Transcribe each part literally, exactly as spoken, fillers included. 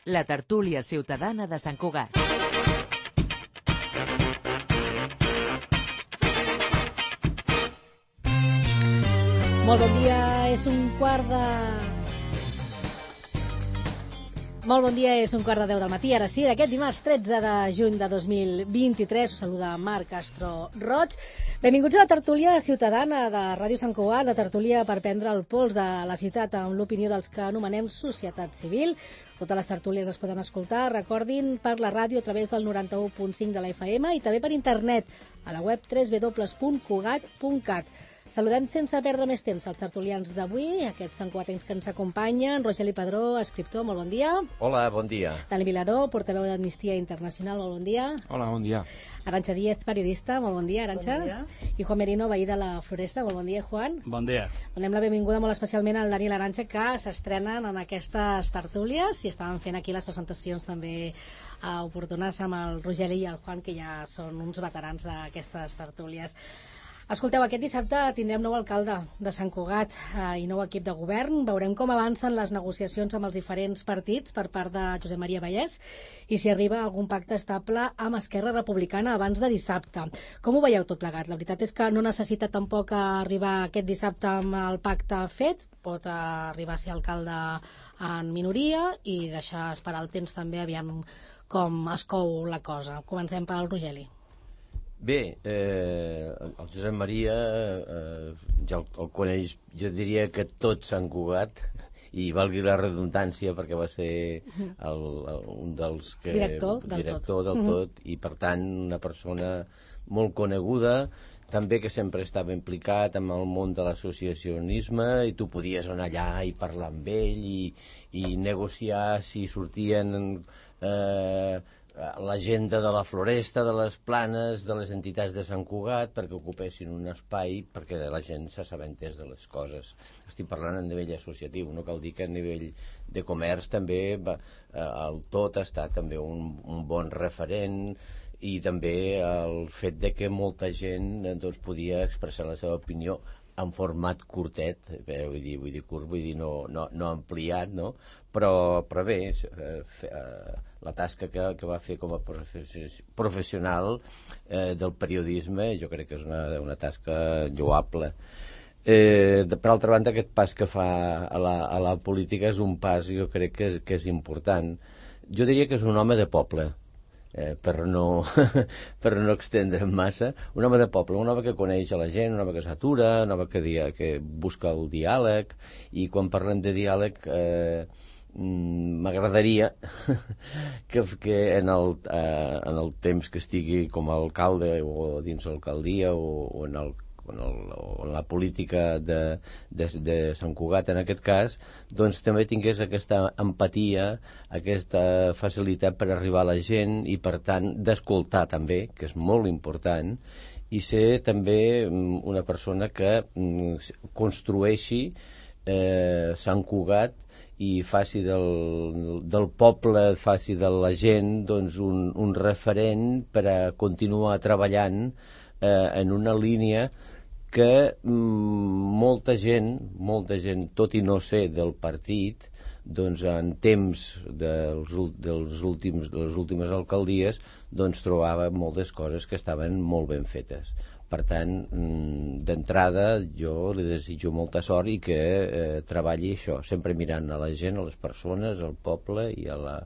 la tertúlia ciutadana de Sant Cugat. Molt bon dia, és un quart de... Molt bon dia, és un quart de deu del matí, ara sí, d'aquest dimarts tretze de juny de dos mil vint-i-tres. Us saluda Marc Castro Roig. Benvinguts a la tertúlia ciutadana de Ràdio Sant Cugat, la tertúlia per prendre el pols de la ciutat amb l'opinió dels que anomenem societat civil. Totes les tertúlies les poden escoltar, recordin, per la ràdio a través del noranta-u punt cinc de la F M i també per internet a la web w w w punt cugat punt cat. Saludem sense perdre més temps als tertulians d'avui, aquests santcugatencs que ens acompanyen. Rogeli Padró, escriptor, molt bon dia. Hola, bon dia. Dani Vilaró, portaveu d'Amnistia Internacional, molt bon dia. Hola, bon dia. Arantxa Díez, periodista, molt bon dia, Arantxa. Bon dia. I Juan Merino, veí de la Floresta, molt bon dia, Juan. Bon dia. Donem la benvinguda molt especialment al Dani i l'Arantxa, que s'estrenen en aquestes tertúlies i estaven fent aquí les presentacions també uh, oportunes amb el Rogeli i el Juan, que ja són uns veterans d'aquestes tertúlies. Escolteu, aquest dissabte tindrem nou alcalde de Sant Cugat eh, i nou equip de govern. Veurem com avancen les negociacions amb els diferents partits per part de Josep Maria Vallès i si arriba algun pacte estable amb Esquerra Republicana abans de dissabte. Com ho veieu tot plegat? La veritat és que no necessita tampoc arribar aquest dissabte amb el pacte fet. Pot arribar a ser alcalde en minoria i deixar esperar el temps també, aviam com es cou la cosa. Comencem pel Rogeli. Bé, eh, el Josep Maria eh, ja el, el coneix, jo diria que tot Sant Cugat, i valgui la redundància perquè va ser el, el, un dels que... Director del director tot. del tot, i per tant una persona molt coneguda, també que sempre estava implicat amb el món de l'associacionisme i tu podies anar allà i parlar amb ell i, i negociar si sortien... Eh, l'agenda de la Floresta, de les Planes, de les entitats de Sant Cugat, perquè ocupessin un espai perquè la gent s'assabentés de les coses. Estic parlant a nivell associatiu, no cal dir que a nivell de comerç també va, el tot ha estat també un, un bon referent, i també el fet de que molta gent doncs, podia expressar la seva opinió en format curtet, eh, vull dir, vull dir curt, vull dir no, no, no ampliat, no? Però, però bé, eh, eh, la tasca que, que va fer com a professional eh, del periodisme jo crec que és una, una tasca lloable. Eh, de, per altra banda, aquest pas que fa a la, a la política és un pas, jo crec que, que és important. Jo diria que és un home de poble, Eh, per no per no extendre'm massa, un home de poble, un home que coneix a la gent, un home que s'atura, un home que, dia, que busca el diàleg, i quan parlem de diàleg eh, m'agradaria que, que en, el, eh, en el temps que estigui com a alcalde o dins l'alcaldia o, o en el en, el, en la política de, de, de Sant Cugat en aquest cas, doncs també tingués aquesta empatia, aquesta facilitat per arribar a la gent i per tant d'escoltar també, que és molt important, i ser també una persona que construeixi eh, Sant Cugat i faci del, del poble, faci de la gent doncs, un, un referent per a continuar treballant eh, en una línia que mm, molta gent, molta gent, tot i no ser del partit, doncs en temps dels, dels últims, de les últimes alcaldies, doncs trobava moltes coses que estaven molt ben fetes. Per tant, mm, d'entrada, jo li desitjo molta sort i que eh, treballi això, sempre mirant a la gent, a les persones, al poble i a la,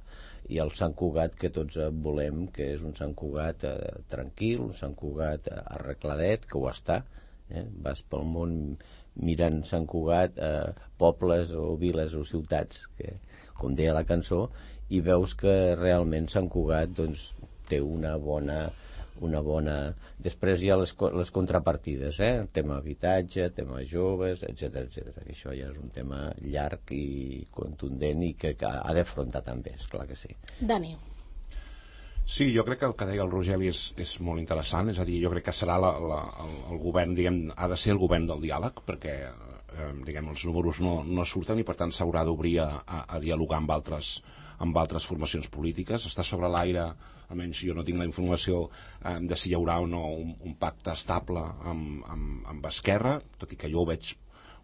i al Sant Cugat que tots volem, que és un Sant Cugat eh, tranquil, un Sant Cugat eh, arregladet, que ho està. Eh? Vas pel món mirant Sant Cugat, eh, pobles o viles o ciutats, que, com deia la cançó, i veus que realment Sant Cugat doncs, té una bona, una bona... Després hi ha les, les contrapartides, eh? El tema habitatge, tema joves, etcètera, etcètera. Això ja és un tema llarg i contundent i que, que ha d'afrontar també, esclar que sí. Dani. Sí, jo crec que el que deia el Rogeli és, és molt interessant, és a dir, jo crec que serà la, la, el, el govern, diguem, ha de ser el govern del diàleg, perquè eh, diguem, els números no, no surten i per tant s'haurà d'obrir a, a, a dialogar amb altres, amb altres formacions polítiques. Està sobre l'aire, almenys jo no tinc la informació eh, de si hi haurà o no un, un pacte estable amb, amb, amb Esquerra, tot i que jo ho veig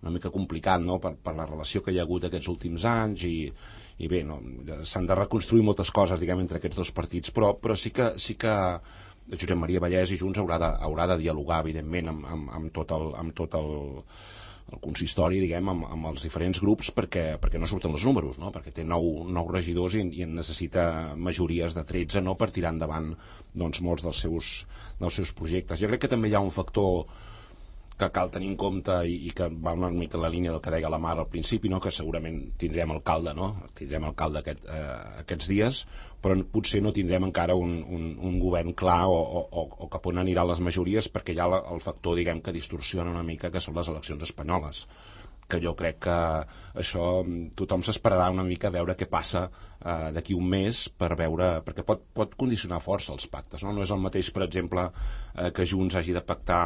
una mica complicat, no?, per, per la relació que hi ha hagut aquests últims anys i, i bé, no, s'han de reconstruir moltes coses, diguem, entre aquests dos partits, però, però sí que, sí que Josep Maria Vallès i Junts haurà de, haurà de dialogar, evidentment, amb, amb, amb tot el, amb tot el, el consistori, diguem, amb, amb els diferents grups, perquè, perquè no surten els números, no?, perquè té nou, nou regidors i, i en necessita majories de tretze, no?, per tirar endavant, doncs, molts dels seus, dels seus projectes. Jo crec que també hi ha un factor que cal tenir en compte i, i que va una mica en la línia del que deia la Mar al principi, no?, que segurament tindrem alcalde, no?, tindrem alcalde aquest, eh, aquests dies, però potser no tindrem encara un, un, un govern clar o, o, o cap on aniran les majories, perquè hi ha la, el factor, diguem, que distorsiona una mica, que són les eleccions espanyoles, que jo crec que això tothom s'esperarà una mica a veure què passa eh, d'aquí un mes, per veure, perquè pot, pot condicionar força els pactes, no? No és el mateix, per exemple, eh, que Junts hagi de pactar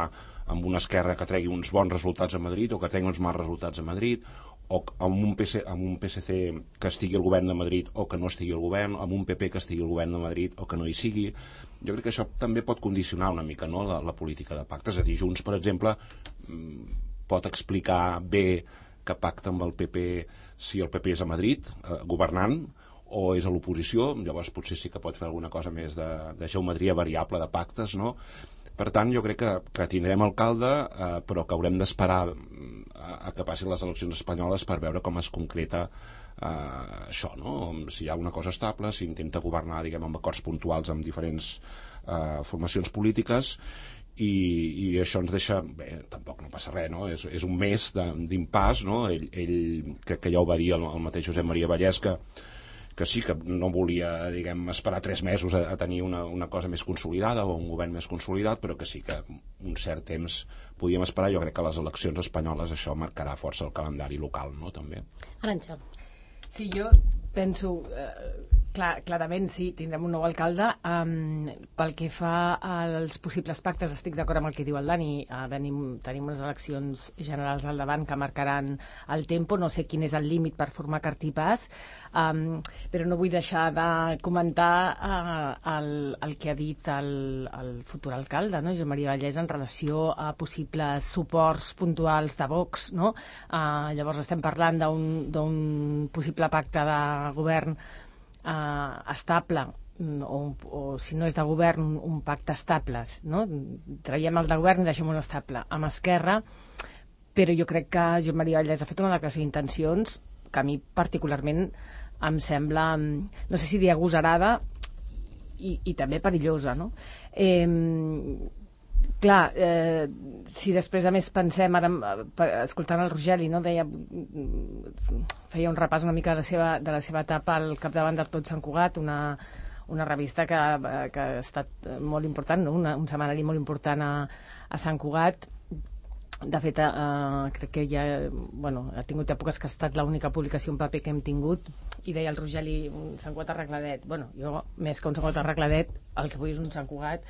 amb una esquerra que tregui uns bons resultats a Madrid o que tregui uns mals resultats a Madrid, o amb un, P C, amb un P S C que estigui al govern de Madrid o que no estigui al govern, amb un P P que estigui al govern de Madrid o que no hi sigui. Jo crec que això també pot condicionar una mica, no?, la, la política de pactes. És a dir, Junts, per exemple, pot explicar bé que pacta amb el P P si el P P és a Madrid, eh, governant, o és a l'oposició, llavors potser sí que pot fer alguna cosa més de, de geometria variable de pactes, no? Per tant, jo crec que, que tindrem alcalde, eh, però que haurem d'esperar a, a que passin les eleccions espanyoles per veure com es concreta eh, això, no? Si hi ha una cosa estable, si intenta governar, diguem, amb acords puntuals amb diferents eh, formacions polítiques, i, i això ens deixa, bé, tampoc no passa res, no? És, és un mes d'impàs, no? Ell, ell crec que ja ho va dir el, el mateix Josep Maria Vallès, que que sí que no volia, diguem, esperar tres mesos a, a tenir una, una cosa més consolidada o un govern més consolidat, però que sí que un cert temps podíem esperar. Jo crec que les eleccions espanyoles això marcarà força el calendari local, no?, també. Arantxa. Sí, jo penso, eh, clar, clarament sí, tindrem un nou alcalde. Um, pel que fa als possibles pactes, estic d'acord amb el que diu el Dani. Uh, venim, tenim unes eleccions generals al davant que marcaran el tempo. No sé quin és el límit per formar cartipàs, um, però no vull deixar de comentar uh, el, el que ha dit el, el futur alcalde, no?, Josep Maria Vallès, en relació a possibles suports puntuals de Vox, no? Uh, llavors estem parlant d'un possible pacte de govern eh, estable, o, o si no és de govern, un, un pacte estable, no? Traiem el de govern i deixem un estable amb Esquerra, però jo crec que Josep Maria Vallès ha fet una declaració d'intencions que a mi particularment em sembla, no sé si dir agosarada i, i també perillosa, no? Eh, Clar, eh, si després a més pensem, ara escoltant el Rogeli, no, deia, feia un repàs una mica de la seva, de la seva etapa al capdavant del Tot Sant Cugat, una, una revista que, que ha estat molt important, no? una, un setmanari molt important a, a Sant Cugat. De fet, eh, crec que ja, bueno, ha tingut èpoques que ha estat l'única publicació en paper que hem tingut, i deia el Rogeli, un Sant Cugat arregladet. Bueno, jo, més que un Sant Cugat arregladet, el que vull és un Sant Cugat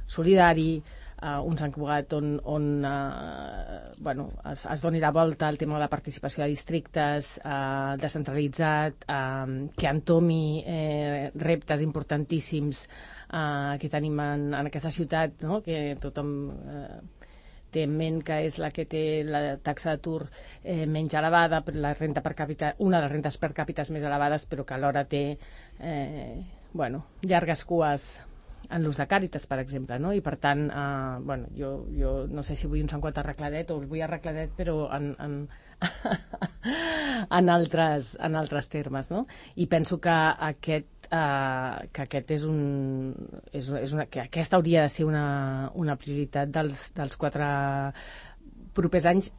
solidari, Uh, un Sant Cugat on, on uh, bueno, es, es doni la volta al tema de la participació de districtes, uh, descentralitzat, uh, que entomi eh, reptes importantíssims uh, que tenim en, en aquesta ciutat, no?, que tothom uh, té en ment que és la que té la taxa d'atur eh, menys elevada, la renta per càpita, una de les rentes per càpites més elevades, però que alhora té eh, bueno, llargues cues en l'ús de Càritas, per exemple, no? I per tant, eh, bueno, jo, jo no sé si vull un Sant Cugat arregladet o el vull arregladet, però en, en, en, altres, en altres termes, no? I penso que aquest, eh, que aquest és un, és, és una, que aquesta hauria de ser una, una prioritat dels, dels quatre propers anys,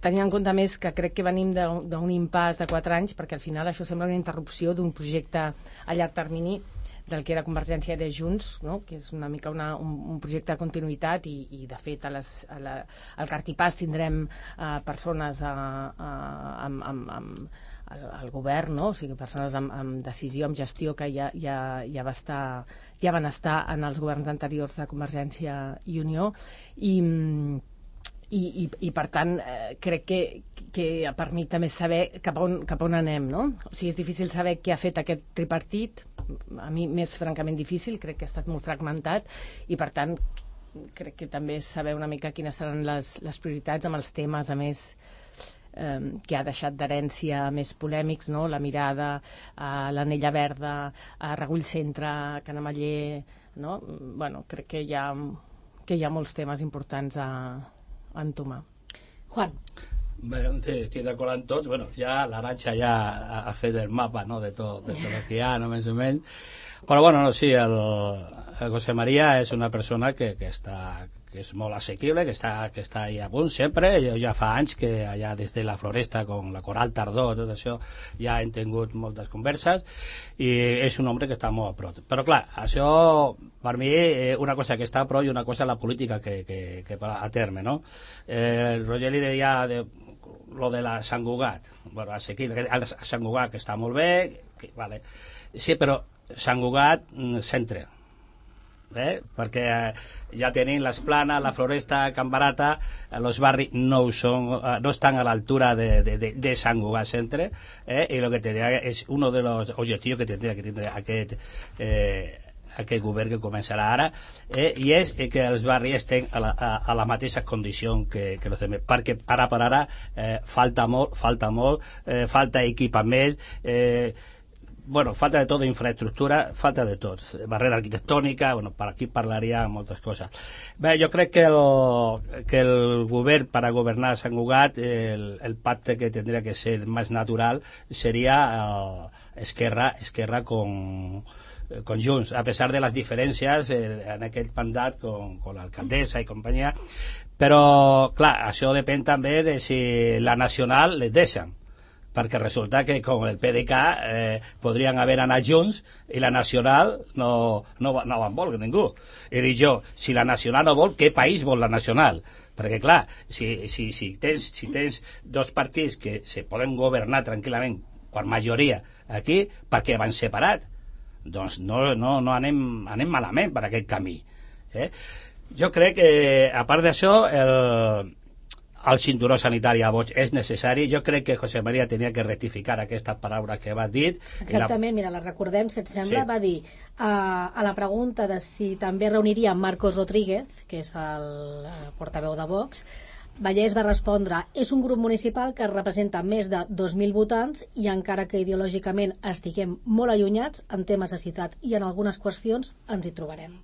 tenint en compte més que crec que venim d'un impàs de quatre anys, perquè al final això sembla una interrupció d'un projecte a llarg termini del que era Convergència de Junts, no?, que és una mica una, un, un projecte de continuïtat, i, i de fet a les, a la, al Cartipàs tindrem uh, persones uh, uh, amb, amb, amb el, el govern, no?, o sigui, persones amb, amb decisió, amb gestió, que ja, ja, ja, va estar, ja van estar en els governs anteriors de Convergència i Unió, i I, i, i per tant eh, crec que, que per mi també és saber cap a, on, cap a on anem, no? O sigui, és difícil saber què ha fet aquest tripartit, a mi m'és francament difícil, crec que ha estat molt fragmentat, i per tant crec que també és saber una mica quines seran les, les prioritats amb els temes, a més eh, que ha deixat d'herència més polèmics, no? La Mirada, eh, l'Anella Verda, a Regull Centre, Canamaller, no? Bueno, crec que hi ha, que hi ha molts temes importants a, a entomar. Juan. Bé, estic d'acord amb tots. Bueno, ja l'Arantxa ja ha, ha fet el mapa, no?, de tot, de tot el que hi ha, no, més o menys. Però bueno, no, sí, el, el José María és una persona que, que està que és molt assequible, que està, que està ahí a punt sempre. Jo ja fa anys que allà des de la Floresta, con la Coral Tardó, tot això, ja hem tingut moltes converses, i és un home que està molt a prop. Però clar, això per mi eh, una cosa que està a prop i una cosa la política que, que, que a terme, no? Eh, Roger li deia de, lo de la Sant Cugat, bueno, assequible, a Sant Cugat que està molt bé, que, vale. Sí, però Sant Cugat centre, eh? Perquè ja tenim les Planes, la Floresta, Can Barata, els barris no, son, no estan a l'altura de, de, de, de Sant Cugat centre, eh? I lo que tendría es uno de los objetivos que tendría que tindre aquest eh, aquest govern que començarà ara, eh, i és eh, que els barris estén a la, a, a la mateixa condició que, que els altres, perquè ara per ara eh, falta molt, falta molt, eh, falta equipament, eh, bueno, falta de tot, infraestructura, falta de tot, barrera arquitectònica, bueno, per aquí parlaria moltes coses. Bé, jo crec que el, que el govern, per a governar Sant Cugat, el, el pacte que tindria que ser més natural seria eh, Esquerra, Esquerra con con Junts, a pesar de las diferències eh, en aquest mandat con, con l'alcaldessa i companyia, però clar, això depèn també de si la nacional les deixen, perquè resulta que com el P D K eh, podrien haver anat junts i la nacional no, no, no en vol ningú. I dic jo, si la nacional no vol, què país vol la nacional? Perquè clar, si, si, si, tens, si tens dos partits que se poden governar tranquil·lament per majoria aquí, per què van separat? Doncs no, no, no anem, anem malament per aquest camí, eh? Jo crec que a part d'això el, el cinturó sanitari a Vox és necessari. Jo crec que José María tenia que rectificar aquestes paraules que va dir. Exactament, la... mira, la recordem, si et sembla, sí. Va dir uh, a la pregunta de si també reuniria Marcos Rodríguez, que és el portaveu de Vox, Vallès va respondre: és un grup municipal que representa més de dos mil votants i encara que ideològicament estiguem molt allunyats en temes de ciutat i en algunes qüestions ens hi trobarem.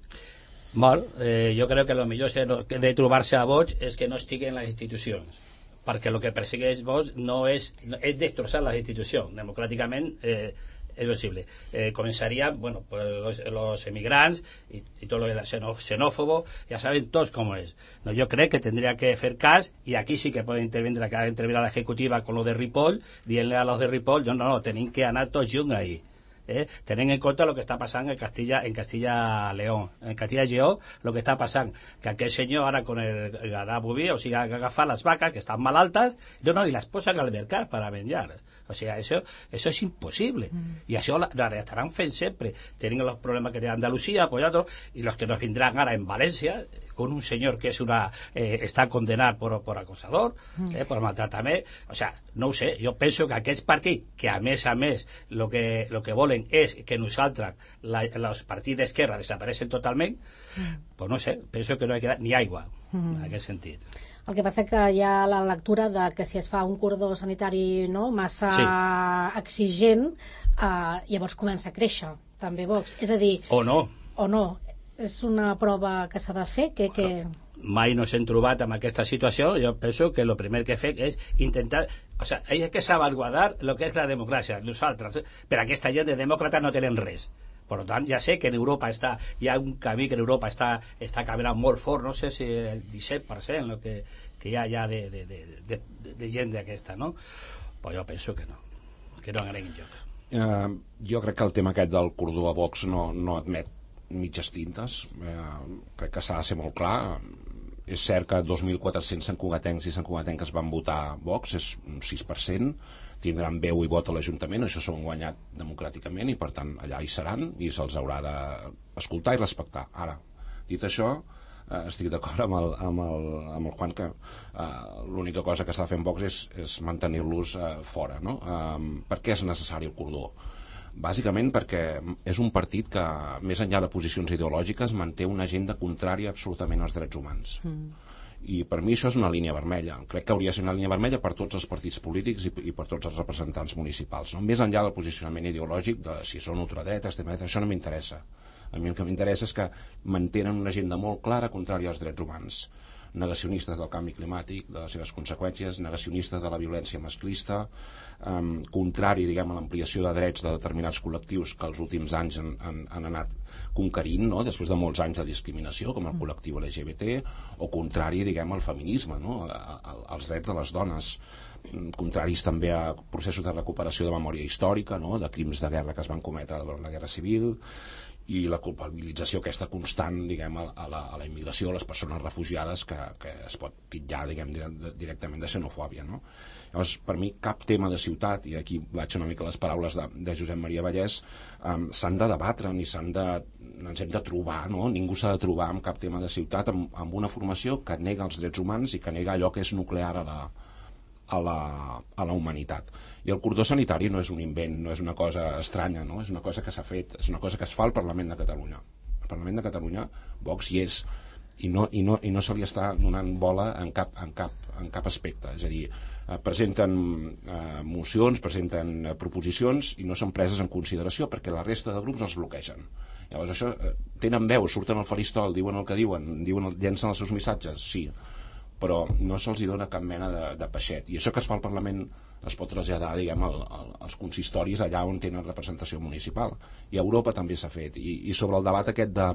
Molt, eh, jo crec que el millor de trobar-se a Vox és que no estigui en les institucions, perquè el que persegueix Vox no és, no, és destrossar les institucions. Democràticament eh, es posible. Eh, comenzaría, bueno, pues los, los emigrantes y, y todo lo de xenófobo, ya saben todos cómo es. No, yo creo que tendría que hacer caso, y aquí sí que puede intervenir, acá intervenir a la ejecutiva con lo de Ripoll, dile a los de Ripoll, no, no, no, tienen que anar tots junts ahí. Eh? Tenen en compte el que està passant en Castilla, en Castilla León, en Castilla Lleó, el que està passant, que aquell senyor ara con el ganado boví, o sigui, agafar les vaques que estan malaltes, no, no, i les posen al mercat per a menjar. O sigui, això, això és impossible. Mm. I això la, la estaran fent sempre. Tenen els problemes que té Andalucía, pues otros, y los que nos vendrán ara en València, con un señor que es una eh, está condenat por, por acosador, mm. eh, por maltratament. O sea, no ho sé, jo penso que aquests partits, que a més a més lo que, lo que volen és que nosaltres, la, els partits d'esquerra desapareixen totalment, mm. pues no sé, penso que no ha quedat ni aigua mm. en aquest sentit. El que passa que hi ha la lectura de que si es fa un cordó sanitari, no, massa sí. exigent, eh, llavors comença a créixer també Vox. És a dir... O no. O no. És una prova que s'ha de fer que... que... Mai no s'hem trobat en aquesta situació. Jo penso que el primer que fem és intentar... O sea, hay que salvaguardar lo que és la democràcia. Nosaltres, per aquesta gent de demòcrata no tenen res. Per tant, ja sé que en Europa està, hi ha un camí que en Europa està, està caminant molt fort, no sé si el disset per cent el que, que hi ha ja de, de, de, de, de gent d'aquesta, no? Però jo penso que no, que no anem en joc. Uh, jo crec que el tema aquest del cordó a Vox no, no admet mitges tintes. Uh, crec que s'ha de ser molt clar. És cert que dos mil quatre-cents santcugatencs i santcugatenques van votar Vox, és un sis per cent, tindran veu i vot a l'Ajuntament, això s'ho han guanyat democràticament i per tant allà hi seran i se'ls haurà d'escoltar i respectar. Ara, dit això, eh, estic d'acord amb, el, amb, el, amb el Juan que eh, l'única cosa que s'ha de fer en Vox és, és mantenir-los eh, fora, no? Eh, per què és necessari el cordó? Bàsicament perquè és un partit que, més enllà de posicions ideològiques, manté una agenda contrària absolutament als drets humans. Mm. i per mi això és una línia vermella. Crec que hauria de ser una línia vermella per tots els partits polítics i, i per tots els representants municipals, no? Més enllà del posicionament ideològic de si són ultradreta, extrema dreta, això no m'interessa. A mi el que m'interessa és que mantenen una agenda molt clara contrària als drets humans, negacionistes del canvi climàtic, de les seves conseqüències, negacionistes de la violència masclista, um, contrari, diguem, a l'ampliació de drets de determinats col·lectius que els últims anys han, han, han anat conquerint, no? Després de molts anys de discriminació, com el col·lectiu L G B T, o contrari, diguem, al feminisme, no? A, a, als drets de les dones, contraris també a processos de recuperació de memòria històrica, no? De crims de guerra que es van cometre durant la Guerra Civil, i la culpabilització aquesta constant, diguem, a la, a la immigració, a les persones refugiades, que, que es pot titllar, diguem, directament de xenofòbia, no? Llavors, per mi, cap tema de ciutat, i aquí vaig una mica les paraules de, de Josep Maria Vallès, um, s'han de debatre, ni s'han de, ens hem de trobar, no? Ningú s'ha de trobar amb cap tema de ciutat, amb, amb una formació que nega els drets humans i que nega allò que és nuclear a la, a la, a la humanitat. I el cordó sanitari no és un invent, no és una cosa estranya, no? És una cosa que s'ha fet, és una cosa que es fa al Parlament de Catalunya. Al Parlament de Catalunya Vox hi és, i no, i no, i no se li està donant bola en cap, en cap, en cap aspecte. És a dir, eh, presenten eh, mocions, presenten eh, proposicions i no són preses en consideració perquè la resta de grups els bloquegen. Llavors això, eh, tenen veu, surten al faristol, diuen el que diuen, diuen, llencen els seus missatges, sí, però no se'ls dona cap mena de, de peixet. I això que es fa al Parlament es pot traslladar, diguem, al, al, als consistoris allà on tenen representació municipal. I a Europa també s'ha fet. I, i sobre el debat aquest de...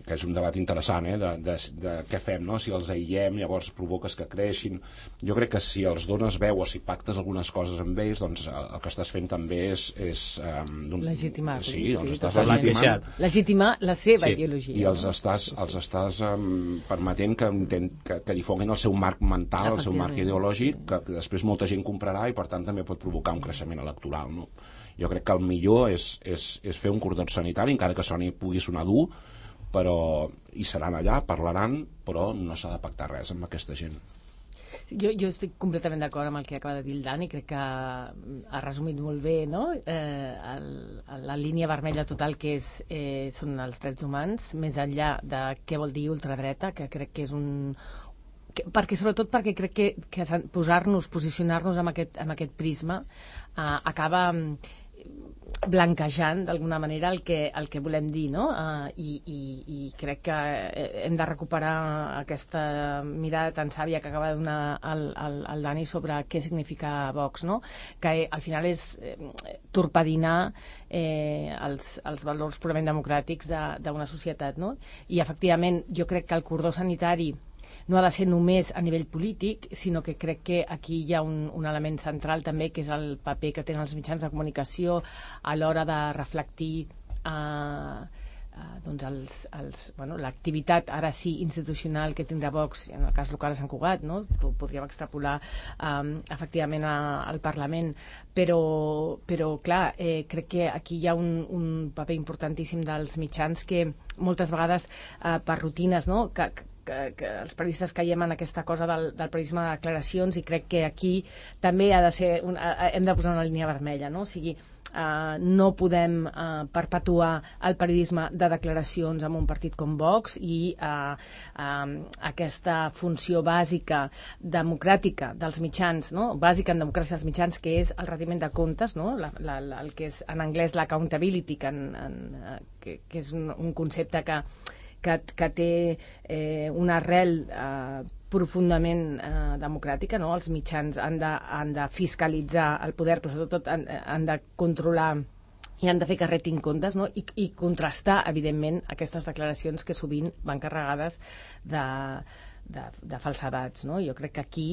que és un debat interessant, eh, de, de, de què fem, no? Si els aïllem, llavors provoques que creixin. Jo crec que si els dones veu o si pactes algunes coses amb ells, doncs el, el que estàs fent també és... és um, legitimar. Sí, sí, doncs sí, estàs legitimant. Legitimar la seva sí. ideologia. I els estàs, els estàs um, permetent que, que, que difonguin el seu marc mental, el seu marc ideològic, que, que després molta gent comprarà i per tant també pot provocar un creixement electoral, no? Jo crec que el millor és, és, és fer un cordó sanitari, encara que soni, pugui sonar dur, però hi seran allà, parlaran, però no s'ha de pactar res amb aquesta gent. Jo, jo estic completament d'acord amb el que acaba de dir el Dani, crec que ha resumit molt bé, no? Eh, el, la línia vermella total que és, eh, són els drets humans, més enllà de què vol dir ultradreta, que crec que és un... Que, perquè sobretot perquè crec que, que posar-nos, posicionar-nos amb aquest, amb aquest prisma eh, acaba blanquejant d'alguna manera el que, el que volem dir, no? Uh, i, i, i crec que hem de recuperar aquesta mirada tan sàvia que acaba de donar el, el, el Dani sobre què significa Vox, no? Que eh, al final és eh, torpedinar eh, els, els valors purament democràtics d'una societat, no? I efectivament jo crec que el cordó sanitari no ha de ser només a nivell polític, sinó que crec que aquí hi ha un, un element central també, que és el paper que tenen els mitjans de comunicació a l'hora de reflectir eh, eh, doncs els, els, bueno, l'activitat ara sí institucional que tindrà Vox, en el cas local a Sant Cugat, no? Podríem extrapolar eh, efectivament a, al Parlament, però, però clar, eh, crec que aquí hi ha un, un paper importantíssim dels mitjans que moltes vegades eh, per rutines, no? que, Que, que els periodistes caiem en aquesta cosa del, del periodisme de declaracions, i crec que aquí també ha de ser un, ha, hem de posar una línia vermella, no? O sigui, uh, no podem uh, perpetuar el periodisme de declaracions amb un partit com Vox i uh, uh, aquesta funció bàsica democràtica dels mitjans, no? Bàsica en democràcia dels mitjans, que és el retiment de comptes, no? la, la, la, el que és en anglès l'accountability, que, en, en, uh, que, que és un, un concepte que Que, que té eh, una arrel eh, profundament eh, democràtica, no? Els mitjans han de, han de fiscalitzar el poder, però sobretot han, han de controlar i han de fer que retin comptes, no? I, i contrastar, evidentment, aquestes declaracions que sovint van carregades de, de, de falsedats, no? Jo crec que aquí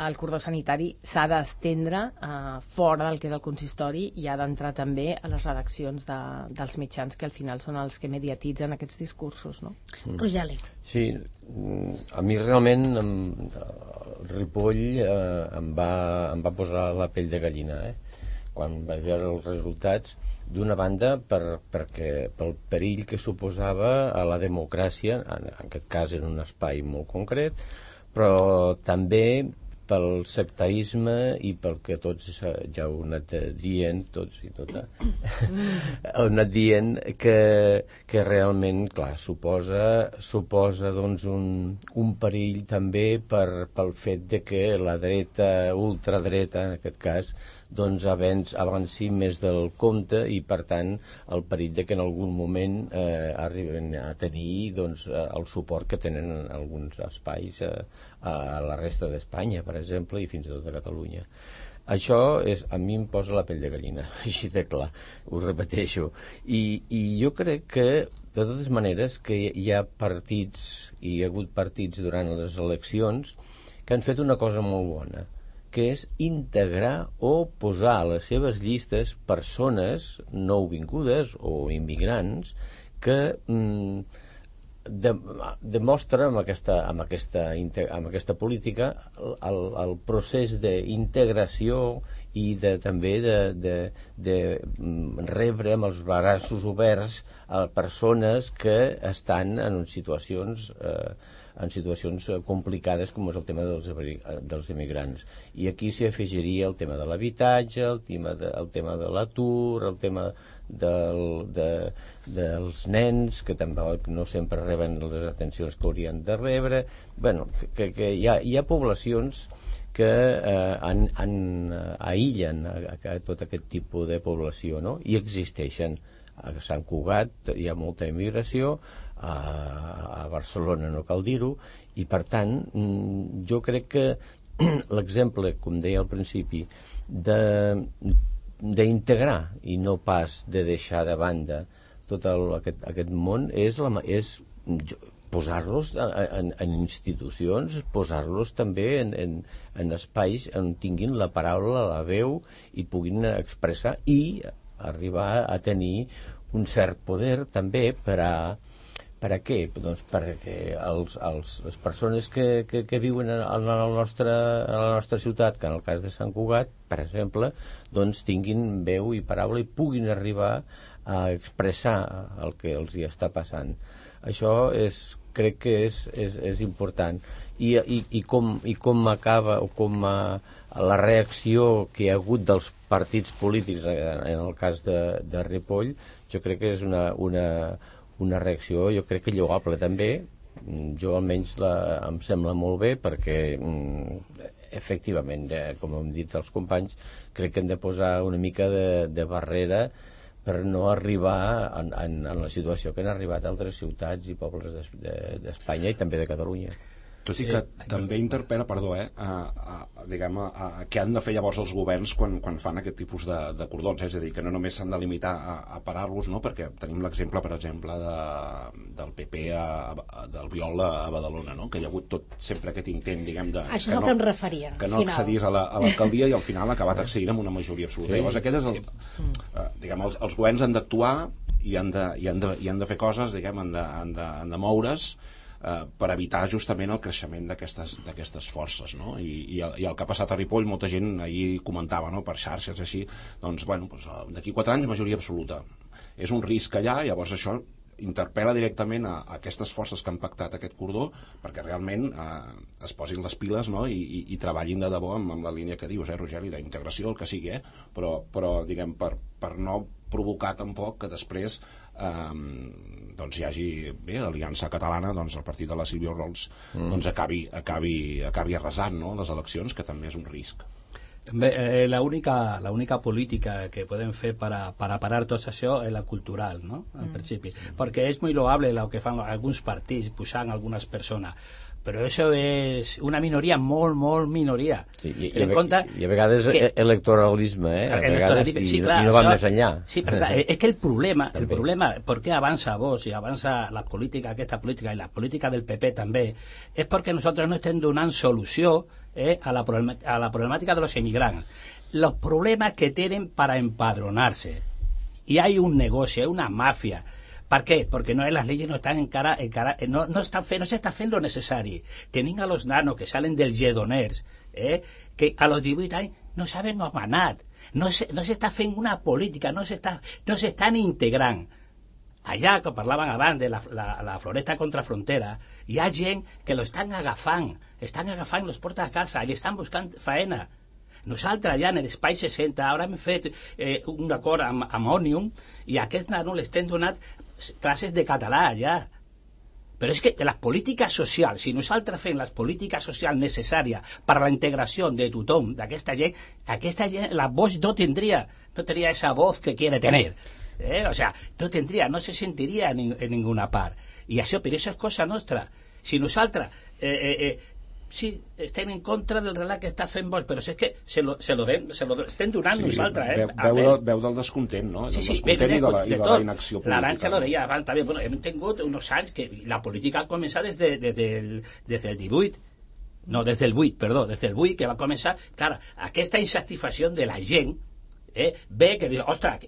el cordó sanitari s'ha d'estendre eh, fora del que és el consistori i ha d'entrar també a les redaccions de, dels mitjans, que al final són els que mediatitzen aquests discursos, no? Mm. Rogeli. Sí, a mi realment em, el Ripoll eh, em, va, em va posar la pell de gallina, eh? Quan vaig veure els resultats, d'una banda per, perquè, pel perill que suposava a la democràcia, en, en aquest cas en un espai molt concret, però també pel sectarisme i pel que tots ja heu anat dient, tots i tota, heu anat dient que, que realment, clar, suposa, suposa doncs, un, un perill també per, pel fet de que la dreta, ultradreta, en aquest cas, doncs avanci, avanci més del compte i, per tant, el perill de que en algun moment eh, arriben a tenir doncs, el suport que tenen en alguns espais a, a la resta d'Espanya, per exemple, i fins i tot a Catalunya. Això és, a mi em posa la pell de gallina, així de clar, ho repeteixo. I, i jo crec que, de totes maneres, que hi ha partits, i hi ha hagut partits durant les eleccions, que han fet una cosa molt bona, que és integrar o posar a les seves llistes persones nouvingudes o immigrants que mm, de, demostra amb aquesta, amb, aquesta, amb aquesta política el, el procés d'integració i de, també de, de, de rebre amb els braços oberts a persones que estan en situacions eh, en situacions complicades com és el tema dels, dels immigrants. I aquí s'hi afegiria el tema de l'habitatge, el tema de, el tema de l'atur, el tema del, de, dels nens, que tampoc no sempre reben les atencions que haurien de rebre. Bueno, que, que hi ha, hi ha poblacions que eh, han, han, aïllen a, a tot aquest tipus de població, no? I existeixen. A Sant Cugat hi ha molta immigració, a, a Barcelona no cal dir-ho, i per tant jo crec que l'exemple, com deia al principi, d'integrar i no pas de deixar de banda tot el, aquest, aquest món és, la, és posar-los en, en institucions, posar-los també en, en, en espais on tinguin la paraula, la veu i puguin expressar i arribar a tenir un cert poder també per a per a què? Doncs perquè els, els, les persones que, que, que viuen en, el nostre, en la nostra ciutat, que en el cas de Sant Cugat, per exemple, doncs tinguin veu i paraula i puguin arribar a expressar el que els hi està passant. Això és, crec que és, és, és important. I, i, i, com, i com acaba o com a, la reacció que hi ha hagut dels partits polítics en el cas de, de Ripoll, jo crec que és una, una, una reacció, jo crec que lloable també. Jo almenys la, em sembla molt bé perquè efectivament, com hem dit els companys, crec que hem de posar una mica de, de barrera per no arribar en, en, en la situació que han arribat altres ciutats i pobles d'Espanya i també de Catalunya. Tot i que sí, també interpel·la, perdó, eh, a, a, diguem, a, a què han de fer llavors els governs quan, quan fan aquest tipus de, de cordons, eh? És a dir, que no només s'han de limitar a, a parar-los, no? Perquè tenim l'exemple, per exemple, de, del P P a, a, del Viol a, a Badalona, no? Que hi ha hagut tot sempre aquest intent, diguem, de, això és el no, que em referia, que no accedís a l'alcaldia la, i al final ha acabat accedint amb una majoria absoluta. Sí. Llavors aquest és el, eh, diguem, els, els governs han d'actuar i han de, i han de, i han de fer coses, diguem, han de, han de, han de moure's Uh, per evitar justament el creixement d'aquestes forces, no? I, i, el, i el que ha passat a Ripoll, molta gent ahir comentava, no? Per xarxes així, doncs, bueno, doncs, d'aquí quatre anys majoria absoluta. És un risc allà, llavors això interpel·la directament a, a aquestes forces que han pactat aquest cordó perquè realment eh, es posin les piles, no? I, i, i treballin de debò amb, amb la línia que dius, eh, Rogeli, d'integració, el que sigui, eh? però, però diguem, per, per no provocar tampoc que després eh, doncs hi hagi bé, l'Aliança Catalana, doncs el partit de la Sílvia Rols mm. doncs acabi, acabi, acabi arrasant, no? Les eleccions, que també és un risc. Bé, eh, la única, la única política que podem fer para, para parar tot això és la cultural, no? En mm. principi, perquè és molt loable el que fan alguns partits pujant algunes persones, però això és una minoria molt, molt minoria. Sí, i, i, a, compte i a vegades que, electoralisme, eh? A vegades i, sí, clar, i no va més enllà. Sí, però clar, és que el problema, el problema, per què avança Vox i avança la política, aquesta política i la política del P P també, és perquè nosaltres no estem donant solució eh, a, la a la problemàtica de los inmigrantes. Los problemas que tienen para empadronarse. Y hay un negocio, hay una mafia. ¿Per què? Perquè no, las leyes no están en cara, en cara no, no, están fe, no se está haciendo lo necesario. Tienen a los nanos que salen del Lledoners, eh, que a los divuit anys no saben omanat, no se, no se está haciendo una política, no se, está, no se están integrant. allà, que parlaven abans de la, la, la floresta contra frontera, hi ha gent que lo estan agafant, estan agafant, los porta a casa, i estan buscant faena. Nosaltres allà en l'espai seixanta ara hem fet eh, un acord amb, amb Òmnium i a aquests nanos les estem donant classes de català allà. Però és que les polítiques socials, si nosaltres fem les polítiques socials necessàries per a la integració de tothom, d'aquesta gent, aquesta gent, la voz no tindria, no tendría esa voz que quiere tener. Eh? O sea, no tendría, no se sentiría en, en ninguna part. I això, però això és cosa nostra. Si nosaltres, eh, eh, eh, sí, estem en contra del relat que està fent Vox, però és que se lo, se lo, den, se lo estem donant sí, nosaltres. Eh? Veu, veu, del, veu del descontent, no? Sí, del sí, descontent ve, i de la, de, i de la inacció política. L'Arantxa lo deia abans també. Bueno, hem tingut uns anys que la política ha començat des, de, des, del, des del divuit, no, des del vuit, perdó, des del vuit que va començar. Clar, aquesta insatisfacció de la gent eh, ve que diu, ostres,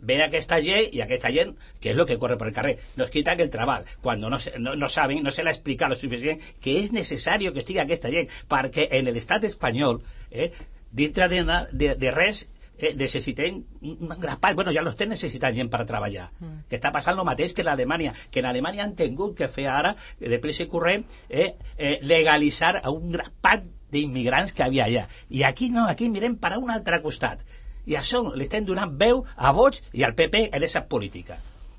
ve aquesta gent i aquesta gent, que és el que corre per el carrer, nos quitan el treball, quan no, no, no saben, no se l'ha explicat lo suficient que és necessari que estigui aquesta gent, perquè en l'estat espanyol, eh, dintre de, de, de res, eh, necessitem un grapat, bueno, ja l'estem necessitant gent per treballar, mm. que està passant el mateix que en Alemanya, que en Alemanya han tingut que fer ara, de pressa i corrent, eh, eh, legalitzar a un grapat d'immigrants que havia allà. I aquí no, aquí mirem per a un altre costat. I això li estem donant veu a Vox i al P P en aquesta política.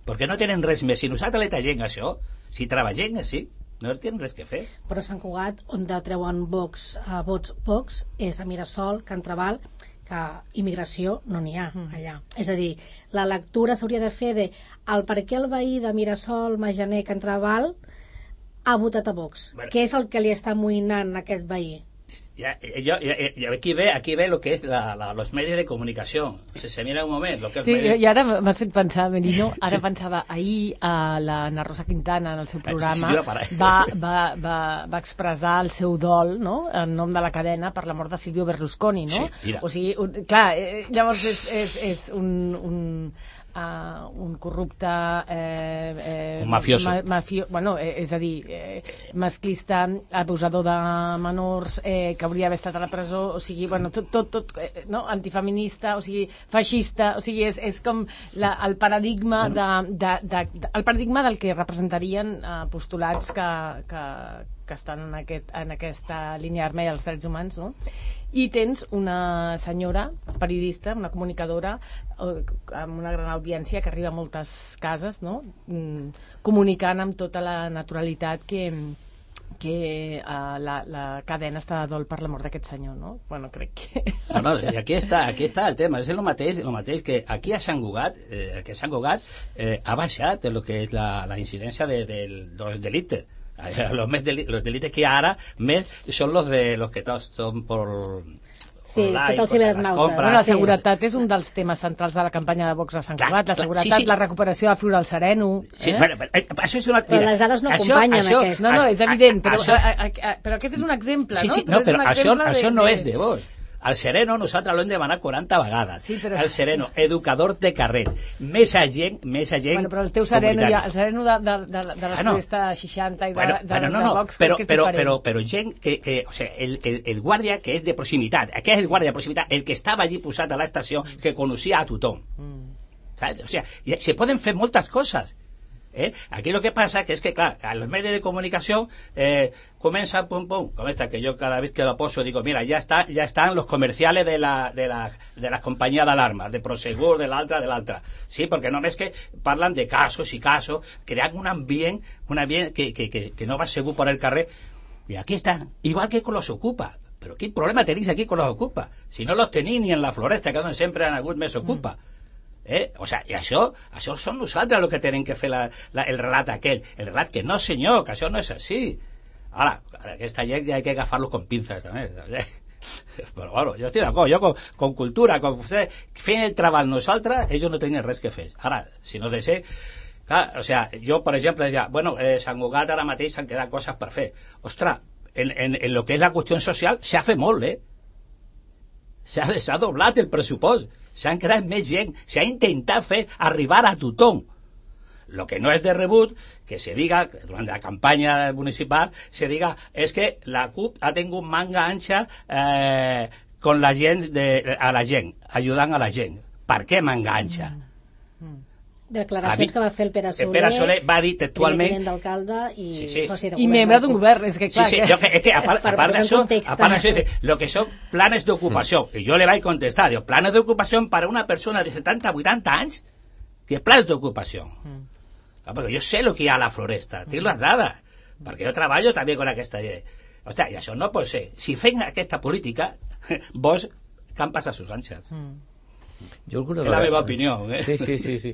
Perquè no tenen res més. Si nosaltres li tallem això, si treballem així, no tenen res que fer. Però Sant Cugat, on treuen Vox, uh, vots Vox, és a Mirasol, Can Trabal, que immigració no n'hi ha allà. Mm. És a dir, la lectura s'hauria de fer de el per què el veí de Mirasol, Majaner, Can Trabal ha votat a Vox. Bueno. Què és el que li està amoïnant a aquest veí? Ya, yo, ya, ya, aquí ve aquí ve lo que es la, la, los medios de comunicación. Si se mira un moment lo que és sí, medios... i ara m'has fet pensar, Merino, ara sí. Pensava ahir a la Ana Rosa Quintana en el seu programa sí, va, va, va, va expressar el seu dol, no?, en nom de la cadena per la mort de Silvio Berlusconi, no? Sí, mira. O sigui, un, clar, eh, llavors és, és, és un... un Uh, un corrupte eh, eh, un mafioso ma, mafio, bueno, eh, és a dir eh, masclista, abusador de menors eh, que hauria d'haver estat a la presó, o sigui, bueno, tot, tot, tot eh, no? Antifeminista, o sigui, feixista, o sigui, és, és com la, el paradigma de, de, de, de, el paradigma del que representarien eh, postulats que, que, que estan en, aquest, en aquesta línia vermella dels drets humans, no? I tens una senyora periodista, una comunicadora amb una gran audiència que arriba a moltes cases, no?, mm, comunicant amb tota la naturalitat que, que uh, la, la cadena està de dol per la mort d'aquest senyor, no? Bueno, crec que... No, no, i aquí està, aquí està el tema, és el mateix, el mateix que aquí a Sant Cugat, eh, que a Sant Cugat eh, ha baixat el que és la, la incidència de, de, dels delictes. Los, més deli los delitos que ahora més son los de los que todos son por sí, online, tot el cibernauta. Bueno, la seguretat sí. és un dels temes centrals de la campanya de Vox a Sant Cugat, la seguretat, sí, sí. La recuperació de Flora al Sereno. Sí, eh? bueno, però, això és una... Però les dades no això, acompanyen això, aquest. No, no, és evident, però, això, a, a, a, però aquest és un exemple, sí, no? Sí, no, però això, de, això no de... és de Vox. Al Sereno nosaltres l'hem demanat quaranta vegades. Sí, però... El Sereno, educador de carret. Més gent, més gent... Bueno, però el teu Sereno, ja, el Sereno de, de, de, de la Floresta ah, no. seixanta i de, bueno, de, bueno, no, de no, Vox, però, crec que és però, diferent. Però, però gent que... que o sea, el, el, el guàrdia que és de proximitat, aquest és el guàrdia de proximitat, el que estava allí posat a l'estació, que coneixia a tothom. Mm. ¿Sabes? O sea, se poden fer moltes coses. ¿Eh? Aquí lo que pasa que es que, claro, a los medios de comunicación eh, comienzan pum pum, como esta que yo cada vez que lo poso digo, mira, ya está, ya están los comerciales de la, de la, de las compañías de alarma, de Prosegur, de l'altra, de l'altra. Sí, porque no ves que parlan de casos y casos, crean un ambiente, un ambiente que, que, que, que no va segur por el carrer. Y aquí está, igual que con los Ocupa. Pero ¿qué problema tenéis aquí con los Ocupa? Si no los tenéis ni en la Floresta, que donde siempre han hagut més Ocupa. Mm. Eh? O sea, i això, això són nosaltres el que tenen que fer la, la, el relat aquell. El relat que no, senyor, que això no és així. Ara, aquesta gent ja hay que agafar-lo con pinzas també. Però bueno, jo estic d'acord, jo con, con cultura, con fent el treball nosaltres, ells no tenen res que fer. Ara, si no de ser... Clar, o sea, jo, per exemple, deia, bueno, eh, Sant Cugat ara mateix s'han quedat coses per fer. Ostres, en, en, en lo que és la qüestió social s'ha fet molt, eh? S'ha doblat el pressupost. S'han creat més gent, s'ha intentat fer arribar a tothom. Lo que no és de rebut, que se diga, durant la campanya municipal, se diga, és que la CUP ha tingut manga ancha eh, con la gent de, a la gent, ajudant a la gent. Per què manga ancha? Mm. Mm. Declaracions dit, que va fer el Pere Soler, Pere Soler va dir textualment... primer tinent d'alcalde i sí, sí. soci de govern. I membre d'un govern, és que clar... Sí, sí, que... jo, que, que a part, a part d'això, a part d'això, lo que son planes d'ocupació, mm. i jo le vaig contestar, digo, planes d'ocupació per a una persona de setanta a vuitanta anys, que plans d'ocupació? Mm. Ah, perquè jo sé el que hi ha a la floresta, tinc mm. les dades, perquè jo treballo també amb aquesta llei. Ostres, i això no pot ser. Si fem aquesta política, vos campes a sus anxes. Mm. Jo alguna és la meva opinió, eh? Sí, sí, sí, sí.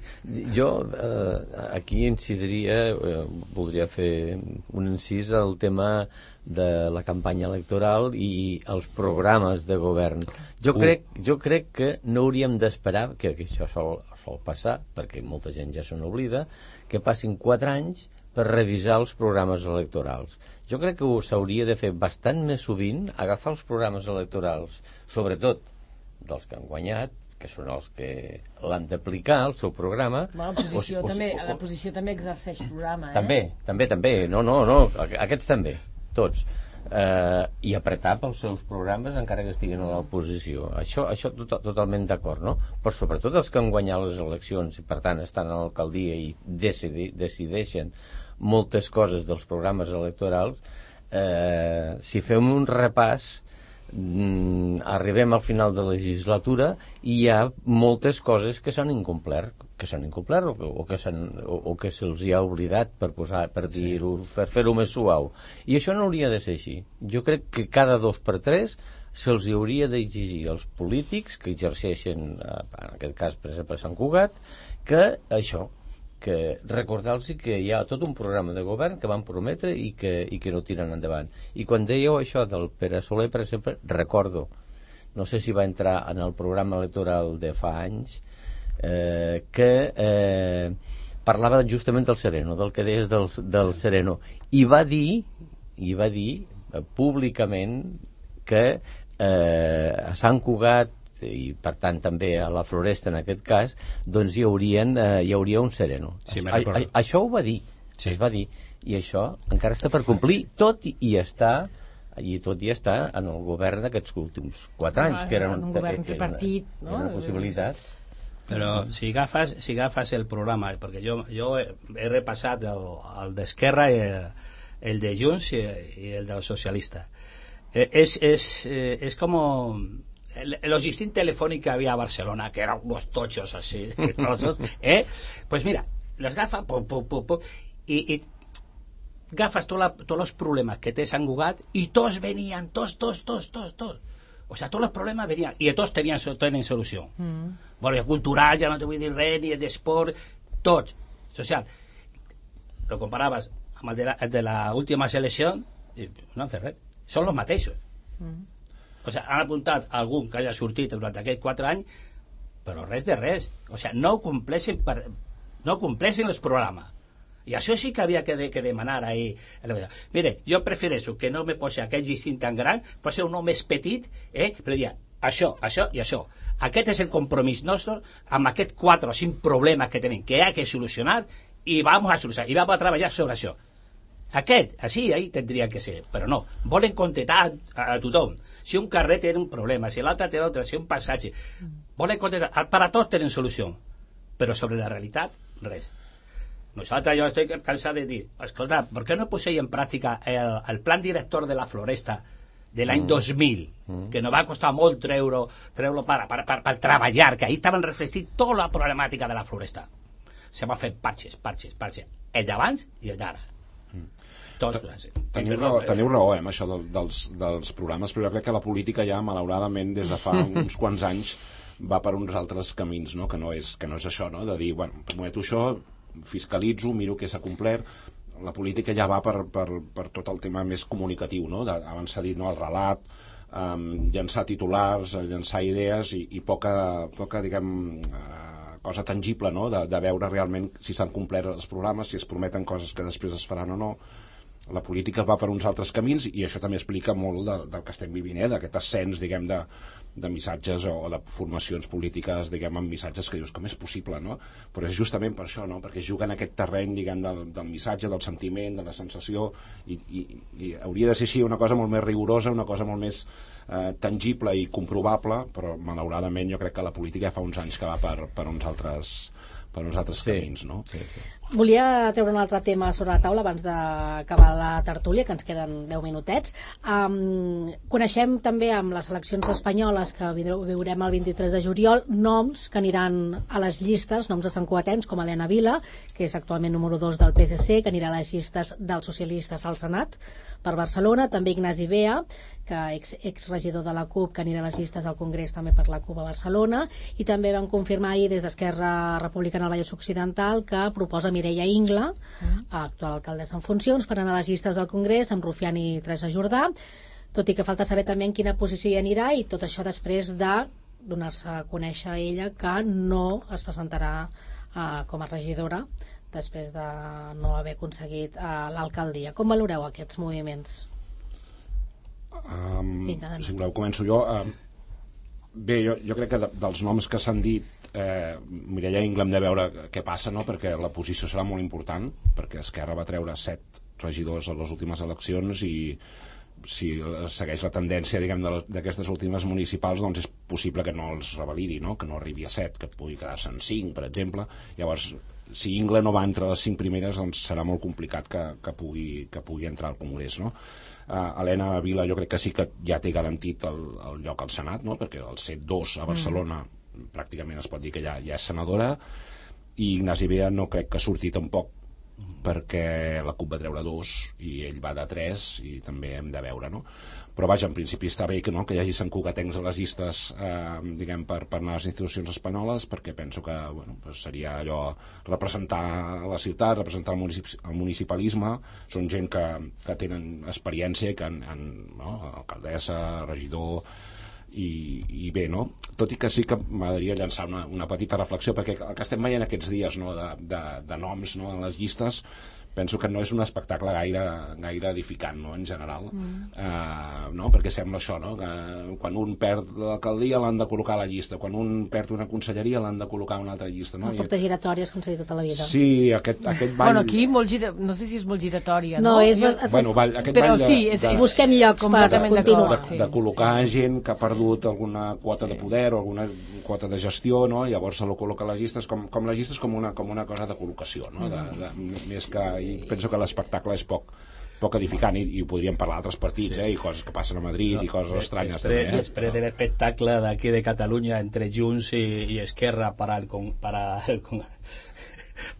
Jo eh, aquí incidiria, eh, voldria fer un incís al tema de la campanya electoral i els programes de govern. Jo, uh. crec, jo crec que no hauríem d'esperar, que, que això sol, sol passar, perquè molta gent ja se n'oblida, que passin quatre anys per revisar els programes electorals. Jo crec que s'hauria de fer bastant més sovint, agafar els programes electorals, sobretot dels que han guanyat, que són els que l'han d'aplicar, el seu programa. Bueno, la posició, o, també, o, la posició també exerceix programa, eh? També, també, també. No, no, no, aquests també, tots. Eh, I apretar pels seus programes encara que estiguin a l'oposició. Això, això tot, totalment d'acord, no? Però sobretot els que han guanyat les eleccions i per tant estan a l'alcaldia i decidi, decideixen moltes coses dels programes electorals, eh, si fem un repàs, mm, arribem al final de la legislatura i hi ha moltes coses que s'han incomplert, que s'han incomplert o que, o que, o, o que se'ls hi ha oblidat per posar, per dir-ho, per fer-ho més suau. I això no hauria de ser així. Jo crec que cada dos per tres se'ls hauria d'exigir als polítics que exerceixen, en aquest cas per exemple a Sant Cugat, que això, que recordar-los que hi ha tot un programa de govern que van prometre i que, i que no tiren endavant. I quan dèieu això del Pere Soler, per exemple, recordo, no sé si va entrar en el programa electoral de fa anys, eh, que eh, parlava justament del Sereno, del que deies del, del Sereno, i va dir, i va dir eh, públicament que eh, a Sant Cugat i per tant també a la Floresta en aquest cas, doncs hi, haurien, eh, hi hauria un Sereno. Sí, a, a, això ho va dir, sí. Es va dir, i això encara està per complir, tot i, i està i tot i està en el govern d'aquests últims quatre anys, ah, que era un, un govern tripartit, no? Era una possibilitat. Però si agafes, si agafes el programa, perquè jo, jo he, he repassat el, el d'Esquerra i el, el de Junts i, i el del socialista. Eh, és, és, eh, és com el, el logístic telefònic que havia a Barcelona, que eran unos tochos así, ¿eh? Pues mira, los gafas, pum, pum, pum, pum, y, y gafas todos los problemas que te han jugado y todos venían, todos, todos, todos, todos, todos. O sea, todos los problemas venían y todos tenían, tenían solución. Mm. Bueno, cultural, ja no te vull dir res, ni d'esport, tots. Social. Lo comparabas amb el de la, el de la última selecció i no han fet res. Són els mateixos. Mm. O sea, han apuntat algun que haya sortit durant aquests quatre anys, però res de res. O sea, no compleixen, per, no compleixen els programes. I això sí que havia que, de, que demanar ahí. Mire, jo prefereixo que no me posi aquest llistín tan gran, pot ser un home més petit, eh? Però diria, això, això i això. Aquest és el compromís nostre amb aquests quatre o cinc problemes que tenim, que hi ha que solucionar i vamos a solucionar, i vamos a treballar sobre això. Aquest, així, ahí tindria que ser, però no, volen contestar a, a tothom. Si un carrer té un problema, si l'altre té l'altre, si un passatge, volen contestar, per a tots tenen solució, però sobre la realitat, res. Nosaltres, jo estic cansat de dir, escolta, ¿por qué no poseu en pràctica el, el plan director de la Floresta de l'any mm. dos mil, mm. que nos va costar molt treure-lo treure per, per, per, per treballar, que ahí estaven reflectint tota la problemàtica de la Floresta. Se va fer parxes, parxes, parxes, el d'abans i el d'ara. Mm. Tots, teniu, raó, teniu raó eh, amb això del, dels, dels programes, però jo crec que la política ja, malauradament, des de fa uns quants anys va per uns altres camins, no? Que, no és, que no és això, no? De dir, bueno, prometo això, fiscalitzo, miro què s'ha complert. La política ja va per, per, per tot el tema més comunicatiu, no? De, abans s'ha dit, no? El relat, um, llançar titulars, llançar idees i, i poca, poca diguem, uh, cosa tangible, no? De, de veure realment si s'han complert els programes, si es prometen coses que després es faran o no. La política va per uns altres camins i això també explica molt de, del que estem vivint, eh? D'aquest ascens, diguem, de, de missatges o de formacions polítiques, diguem, amb missatges que dius, com és possible, no? Però és justament per això, no? Perquè juguen aquest terreny, diguem, del, del missatge, del sentiment, de la sensació, i, i, i hauria de ser així una cosa molt més rigorosa, una cosa molt més eh, tangible i comprovable, però malauradament jo crec que la política ja fa uns anys que va per, per uns altres per uns altres Sí. camins, no? Sí, sí. Volia treure un altre tema sobre la taula abans d'acabar la tertúlia, que ens queden deu minutets. Um, coneixem també amb les eleccions espanyoles que viurem el vint-i-tres de juliol noms que aniran a les llistes, noms de santcugatens com Elena Vila, que és actualment número dos del P S C, que anirà a les llistes dels socialistes al Senat per Barcelona, també Ignasi Bea, que ex, exregidor de la CUP, que anirà a les llistes al Congrés també per la CUP a Barcelona, i també van confirmar ahir des d'Esquerra Republicana al Vallès Occidental que proposa Mireia Ingla, mm. actual alcaldessa en funcions, per anar a les llistes del Congrés amb Rufián i Teresa Jordà, tot i que falta saber també en quina posició hi anirà, i tot això després de donar-se a conèixer a ella que no es presentarà uh, com a regidora després de no haver aconseguit uh, l'alcaldia. Com valoreu aquests moviments? Um, Vinga, si voleu començo jo. Um, bé, jo, jo crec que de, dels noms que s'han dit, eh, Mireia Ingla hem de veure què passa, no? Perquè la posició serà molt important, perquè Esquerra va treure set regidors a les últimes eleccions i si segueix la tendència, diguem, d'aquestes últimes municipals, doncs és possible que no els revalidi, no? Que no arribi a set, que pugui quedar-se en cinc, per exemple. Llavors, si Ingla no va entre les cinc primeres, doncs serà molt complicat que, que, pugui, que pugui entrar al Congrés, no? Uh, Elena Vila jo crec que sí que ja té garantit el, el lloc al Senat, no? Perquè el C dos a Barcelona mm. pràcticament es pot dir que ja, ja és senadora, i Ignasi Bea no crec que surti tampoc, perquè la CUP va treure dos i ell va de tres, i també hem de veure, no? Però vaja, en principi està bé que, no, que hi hagi santcugatencs a les llistes, eh, diguem, per, per anar a les institucions espanyoles, perquè penso que, bueno, pues seria allò representar la ciutat, representar el, municip, el municipalisme. Són gent que, que tenen experiència, que han, han, no, alcaldessa, regidor, i, i bé, no? Tot i que sí que m'agradaria llançar una, una petita reflexió, perquè el que estem veient aquests dies, no, de, de, de noms, no, en les llistes, penso que no és un espectacle gaire, gaire edificant, no, en general. Mm. Uh, no? Perquè sembla això, no? Que quan un perd l'alcaldia l'han de col·locar a la llista, quan un perd una conselleria l'han de col·locar a una altra llista, no? La porta giratòria, com s'ha dit tota la vida. Sí, aquest, aquest ball... Bueno, aquí molt gira... no sé si és molt giratòria, no? No, és... Jo... Bueno, ball, aquest Però ball de, sí, és... de... busquem llocs per continuar. De, de col·locar gent que ha perdut alguna quota de poder o alguna quota de gestió, no? I llavors se lo col·loca a les llistes, com, com les llistes com una, com una cosa de col·locació, no? De, de, més que... I penso que l'espectacle és poc, poc edificant, i, i ho podríem parlar d'altres partits, sí. eh? I coses que passen a Madrid, no, i coses estranyes després, també. Eh? Després no. de l'espectacle d'aquí de Catalunya entre Junts i, i Esquerra para el, para, el,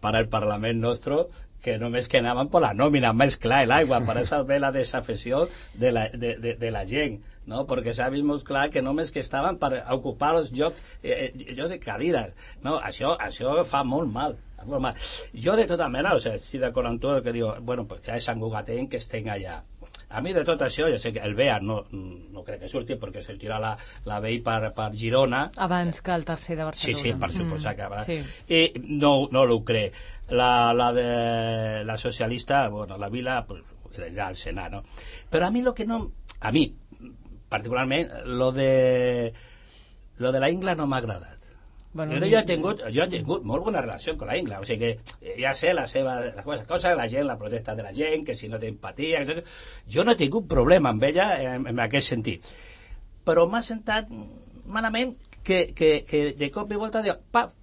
para el Parlament nostre, que només que anaven per la nòmina, més clar l'aigua, per això ve la desafecció de la, de, de, de la gent, no? Perquè s'ha vist molt clar que només que estaven per ocupar els llocs eh, jo de cadires, no? Això, això fa molt mal. Jo de tota manera, o sea, estic d'acord amb tot el que diu, bueno, pues que és santcugatenc que estem allà. A mi de tot això, jo sé que el Bea no, no crec que surti, perquè sortirà la, la B I per, per Girona. Abans que el tercer de Barcelona. Sí, sí, per suposar mm, que abans. Sí. I no, no l'ho crec. La, la de la socialista, bueno, la Vila, pues, irà al Senat, no? Però a mi lo que no... A mi, particularment, lo de, lo de la Ingla no m'ha agradat. Bueno, jo, he tingut, jo he tingut molt bona relació amb la Ingla, o sigui que ja sé la seva la cosa, cosa, la gent, la protesta de la gent, que si no té empatia, etcètera. Jo no he tingut problema amb ella en, en aquest sentit, però m'ha sentat malament que, que, que de cop i volta diu, pap,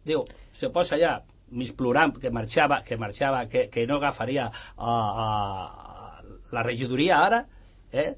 diu, se posa allà mig plorant que marxava, que marxava, que, que no agafaria a, a la regidoria ara, eh?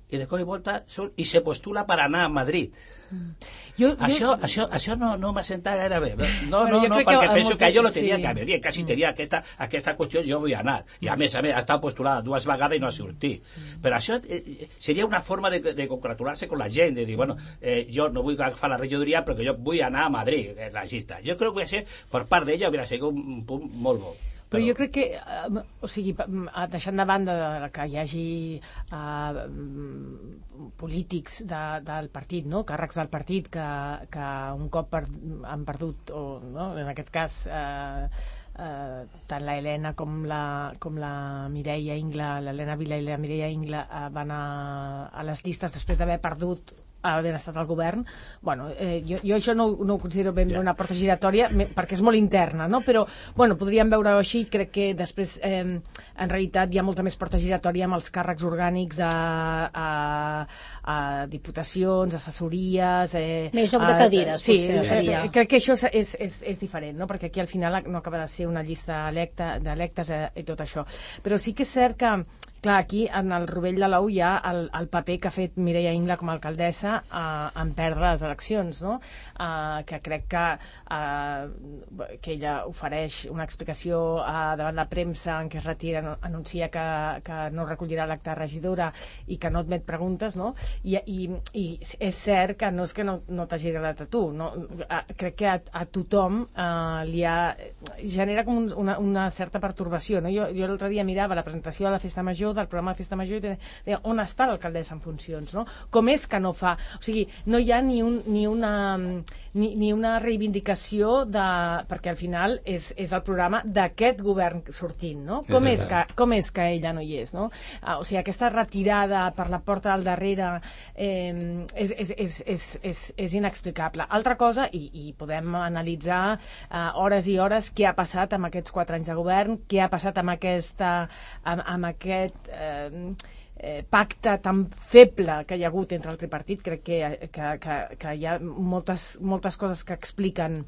I de cop i volta surt i se postula per anar a Madrid. Mm. Jo, això, jo... això, això no, no m'ha sentat gaire bé. No, no, no, perquè penso que, que jo lo tenia sí. que haver, quasi mm. tenia aquesta, aquesta qüestió, jo vull anar. I a més a més, ha estat postulada dues vegades i no ha sortit. Mm. Però això eh, seria una forma de, de congratular-se amb la gent, de dir, bueno, eh, jo no vull agafar la regidoria perquè jo vull anar a Madrid, en la llista. Jo crec que per part d'ella hauria sigut un punt molt bo. Però jo crec que, eh, o sigui, deixant de banda de que hi hagi eh, polítics de, del partit, no? Càrrecs del partit que, que un cop per, han perdut, o no? En aquest cas eh, eh, tant la Helena com la, com la Mireia Ingla, l'Helena Vila i la Mireia Ingla eh, van a, a les llistes després d'haver perdut haver estat al govern. Bueno, eh, jo, jo això no, no ho considero ben bé una porta giratòria, perquè és molt interna, no? Però, bueno, podríem veure-ho així. Crec que després, eh, en realitat, hi ha molta més porta giratòria amb els càrrecs orgànics a, a, a diputacions, assessories... Eh, més joc de cadires, sí, potser, seria. Eh, crec que això és, és, és diferent, no? Perquè aquí al final no acaba de ser una llista d'electes eh, i tot això. Però sí que és cert que, clar, aquí en el rovell de l'ou hi ha el, el paper que ha fet Mireia Ingla com a alcaldessa eh, en perdre les eleccions, no? Eh, que crec que, eh, que ella ofereix una explicació eh, davant la premsa en què es retira, no, anuncia que, que no recollirà l'acte de regidora i que no admet preguntes, no? I, i, i és cert que no és que no, no t'hagi agradat a tu, no? Eh, crec que a, a tothom eh, li ha, genera com un, una, una certa pertorbació, no? Jo, jo l'altre dia mirava la presentació de la Festa Major, del programa de Festa Major, i deia, on està l'alcaldessa en funcions, no? Com és que no fa... O sigui, no hi ha ni, un, ni, una, ni, ni una reivindicació de... perquè al final és, és el programa d'aquest govern sortint, no? Com és, que, com és que ella no hi és, no? Ah, o sigui, aquesta retirada per la porta del darrere eh, és, és, és, és, és, és inexplicable. Altra cosa, i, i podem analitzar eh, hores i hores què ha passat amb aquests quatre anys de govern, què ha passat amb, aquesta, amb, amb aquest Eh, eh, pacte tan feble que hi ha hagut entre el tripartit. Crec que, que, que, que hi ha moltes, moltes coses que expliquen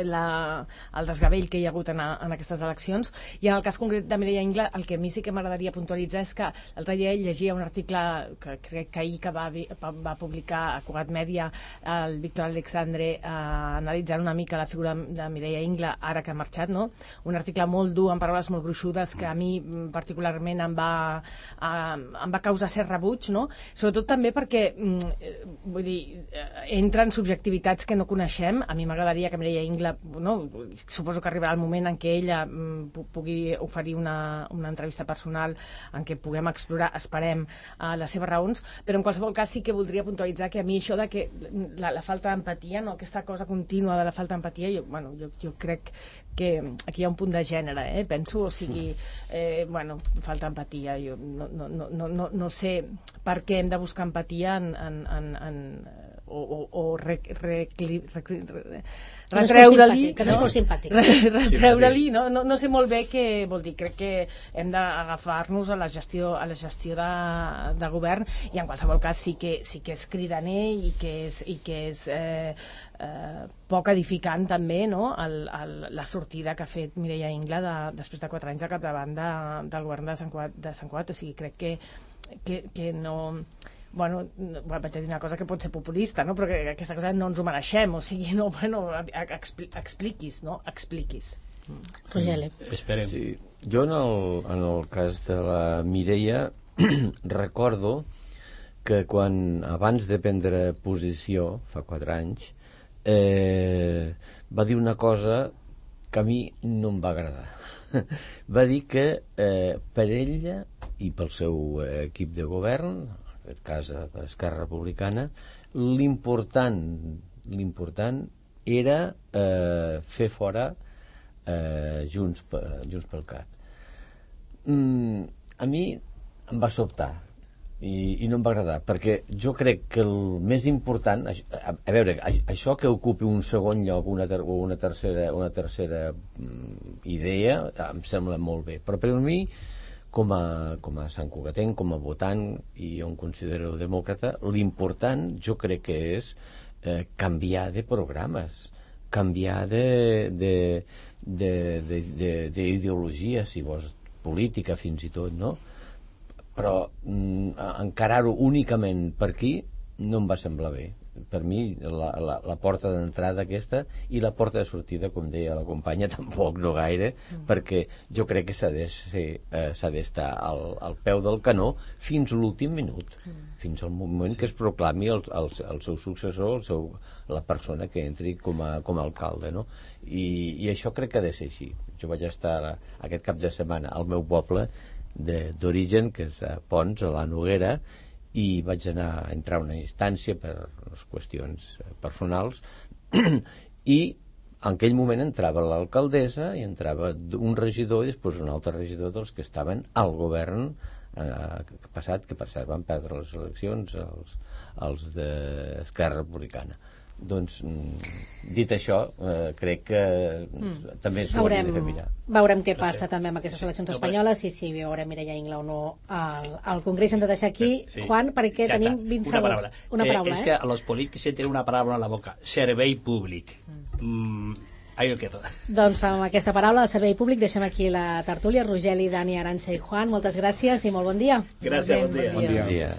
la, el desgavell que hi ha hagut en, a, en aquestes eleccions. I en el cas concret de Mireia Ingla, el que a mi sí que m'agradaria puntualitzar és que l'altre dia ell llegia un article que crec que ahir que va, va publicar a Cugat Mèdia el Víctor Alexandre eh, analitzant una mica la figura de Mireia Ingla ara que ha marxat, no? Un article molt dur, amb paraules molt gruixudes, que a mi particularment em va, eh, em va causar cert rebuig, no? Sobretot també perquè eh, vull dir, entren subjectivitats que no coneixem. A mi m'agradaria que Mireia Ingla, no, suposo que arribarà el moment en què ella mm, pugui oferir una, una entrevista personal en què puguem explorar, esperem, uh, les seves raons, però en qualsevol cas sí que voldria puntualitzar que a mi això de que la, la falta d'empatia, no, aquesta cosa contínua de la falta d'empatia, jo, bueno, jo, jo crec que aquí hi ha un punt de gènere, eh? Penso, o sigui, eh, bueno, falta empatia, jo no, no, no, no, no sé per què hem de buscar empatia en, en, en, en o, o, o re, re, re, re, re, retreure-li, que no és molt simpàtic, retreure-li, no? No, no sé molt bé què vol dir. Crec que hem d'agafar-nos a la gestió, a la gestió de, de govern, i en qualsevol cas sí que, sí que és cridaner i que és, i que és eh, eh, poc edificant també, no? el, el, la sortida que ha fet Mireia Ingla de, després de quatre anys al capdavant de, del govern de Sant Cugat, de Sant Cugat. O sigui, crec que, que, que no... Bueno, vaig a dir una cosa que pot ser populista, no? Però que aquesta cosa no ens ho mereixem, o sigui, no, bueno, expli expliquis, no? Expliquis. Rogeli. Esperem. Sí. Jo en el, en el cas de la Mireia recordo que quan abans de prendre posició, fa quatre anys, eh, va dir una cosa que a mi no em va agradar. Va dir que eh, per ella i pel seu eh, equip de govern, en aquest cas per Esquerra Republicana, l'important l'important era eh, fer fora eh, Junts, Junts pel Cat. Mm, a mi em va sobtar i, i no em va agradar, perquè jo crec que el més important, a, a veure, a, això que ocupi un segon lloc una, ter, una tercera, una tercera mm, idea em sembla molt bé, però per a mi com a, com a santcugatenc, com a votant, i jo em considero demòcrata, l'important jo crec que és eh, canviar de programes, canviar d'ideologia, si vols, política fins i tot, no? Però mm, encarar-ho únicament per aquí no em va semblar bé. Per mi la, la, la porta d'entrada aquesta i la porta de sortida, com deia la companya, tampoc no gaire, mm. perquè jo crec que s'ha d'estar eh, al, al peu del canó fins a l'últim minut, mm. fins al moment sí. que es proclami el, el, el seu successor, el seu, la persona que entri com a, com a alcalde, no? I, i això crec que ha de ser així. Jo vaig estar aquest cap de setmana al meu poble d'origen, que és a Pons, a la Noguera, i vaig anar a entrar a una instància per les qüestions personals i en aquell moment entrava l'alcaldessa i entrava un regidor i després un altre regidor dels que estaven al govern eh, passat, que per cert van perdre les eleccions els, els d'Esquerra Republicana. Doncs, dit això, eh, crec que mm. també s'ho hauria de fer mirar. Veurem què passa també amb aquestes eleccions espanyoles i si veurem Mireia Ingla o no al, al Congrés. Hem de deixar aquí, sí. Juan, perquè Exacte. tenim vint una segons. Paraula. Una paraula, eh, és eh? que a los polítics se tiene una paraula en la boca. Servei públic. Mm, ahí lo quedo. Doncs amb aquesta paraula, el servei públic, deixem aquí la tertúlia. Rogeli, Dani, Arantxa i Juan, moltes gràcies i molt bon dia. Gràcies, bon dia. Bon dia. Bon dia.